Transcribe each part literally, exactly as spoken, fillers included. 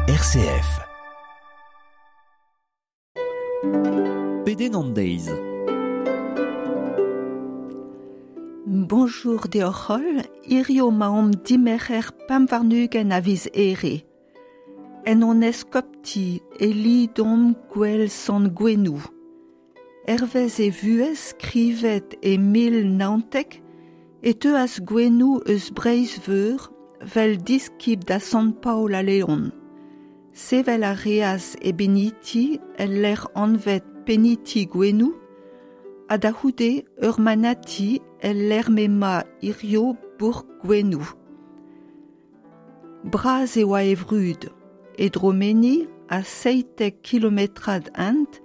R C F. Pedenn an deiz. Bonjour deoc'h holl, hirio 'maomp dimerc'her pemp warn-ugent a viz Here. En hon eskopti e lidomp gwell Sant Gouenoù. Hervez e vuhez skrivet e mil naontek e teuas Gouenoù eus Breizh-Veur vel diskib da Sant Paol a Leon. Sevel a reas e beniti el lec'h anvet Peniti Gouenoù ha da c'houde ur manati el lec'h m'emañ hirio bourk Gouenoù. Bras e oa e vrud, e dromeni a seitek kilometrad hent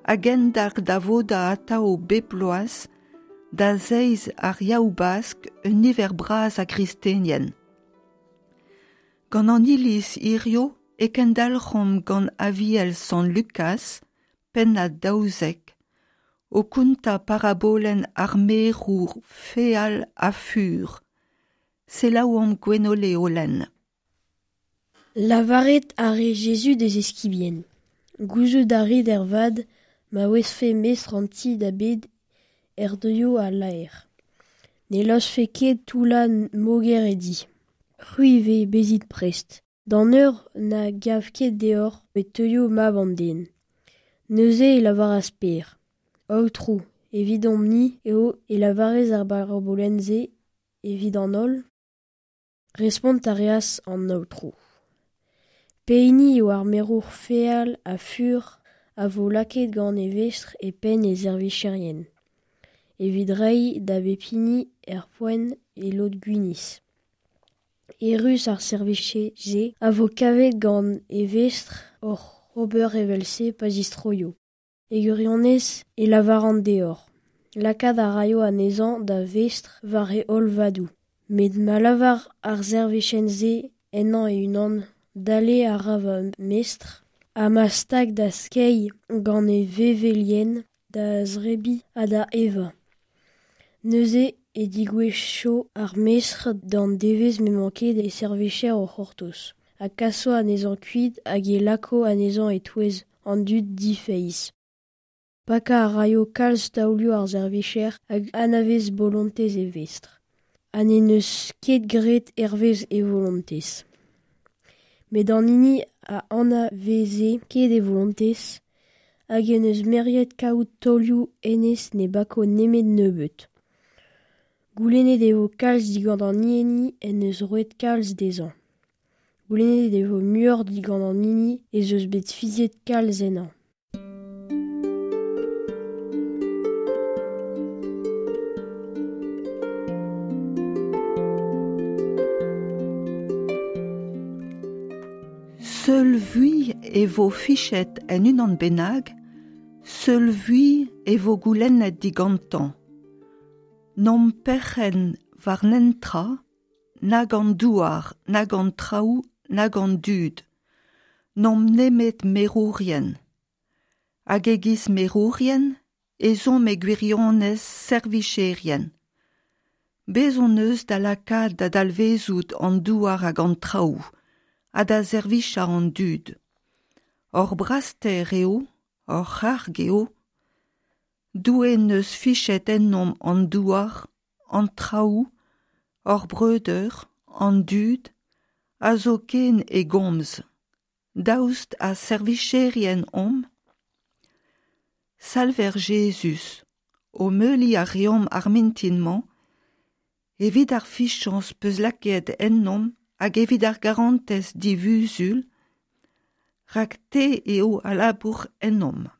hag endalc'h da vodañ atav bep bloaz da zeiz ar Yaou-Bask un niver bras a gristenien. Gant an iliz hirio e kendalc'homp gant Aviel Sant Lukaz, pennad daouzek, o kontañ parabolenn ar merour feal ha fur. Selaouomp Gwenole o lenn. Lavaret a re Jezuz d'e eskibien. Gouzout a rit ervat ma ouezfe mestr an ti da bet er deuio al laer. Ne laosfe ket toullañ moger e di. C'hwi ivez bezit prest. D'an eur na gav ket deoc'h e teuio mab an den. Neuze e lavaras Per. Aotrou, evidomp-ni eo e lavarez ar barabolenn-se evit an holl. Respont a reas an Aotrou. Pehini eo ar merour feal ha fur a vo lakaet gant e vestr e penn e servijerien, evit reiñ da bep hini er poent e lod gwinizh. Errus ar servijer-se a vo kavet gant e vestr oc'h ober evel-se pa zistroio. E gwirionez e lavaran deoc'h. Lakaat a raio anezhañ da vestr war e holl vadoù. Met ma lavar ar servijer-se ennañ e-unan, dale a ra va mestr, ha ma stag da skeiñ gant e vevelien, da zebriñ ha da evañ. Neuze e digouezho ar mestr d'an devezh m'emañ ket e servijer o c'hortoz, ha kaso anezhañ kuit hag e lako anezhañ e-touez an dud difeiz. Pakañ a raio kalz taolioù ar servijer hag anavez bolontez e vestr, ha n'en deus ket graet hervez e volontez. Met an hini a anaveze ket e volontez hag en deus meriet kaout taolioù hennezh ne bako nemet nebeut. Goulennet e vo kalz digant an hini en deus roet kalz dezhañ. Goulennet e vo muioc'h digant an hini ez eus bet fiziet kalz ennañ. Seul vui e vo fichet en unan bennak, seul vui e vo goulennet digantañ. N'omp perc'henn war netra, nag an douar, nag an traoù, nag an dud. N'omp nemet merourien. Hag e-giz merourien, ez omp e gwirionez servicherien. Bez hon eus da lakaat da dalvezout an douar hag an traoù, ha da servichañ an dud. Hor braster eo, hor c'harg eo. Doue n'eus fichet ennomp an douar, an traoù, hor breudeur, an dud, a zo ken e gomz. Daoust ha servicherien omp? Salver Jezuz, o meuliñ a reomp ar mintin-mañ, evit ar fichañs peus lakaet ennomp hag evit ar garantez divuzul, rak te eo a labour ennomp.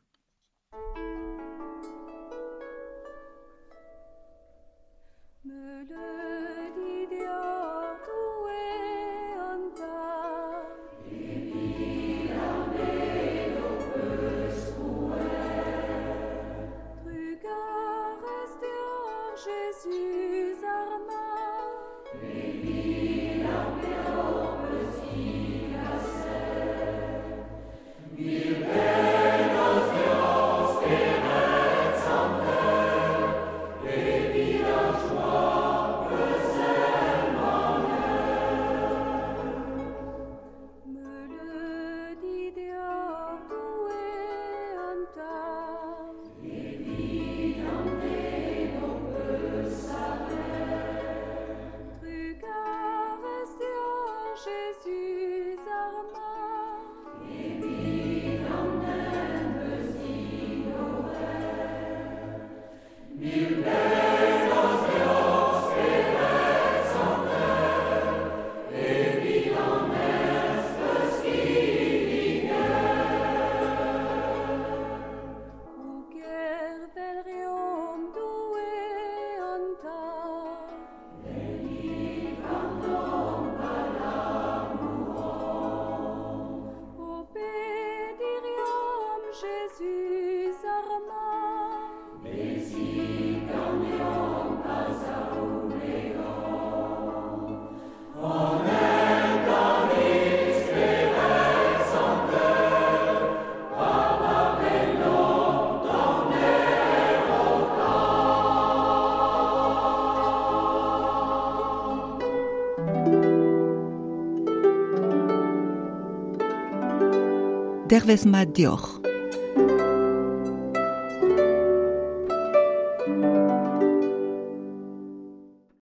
Jésus arma, Mille Dervez mat deoc'h.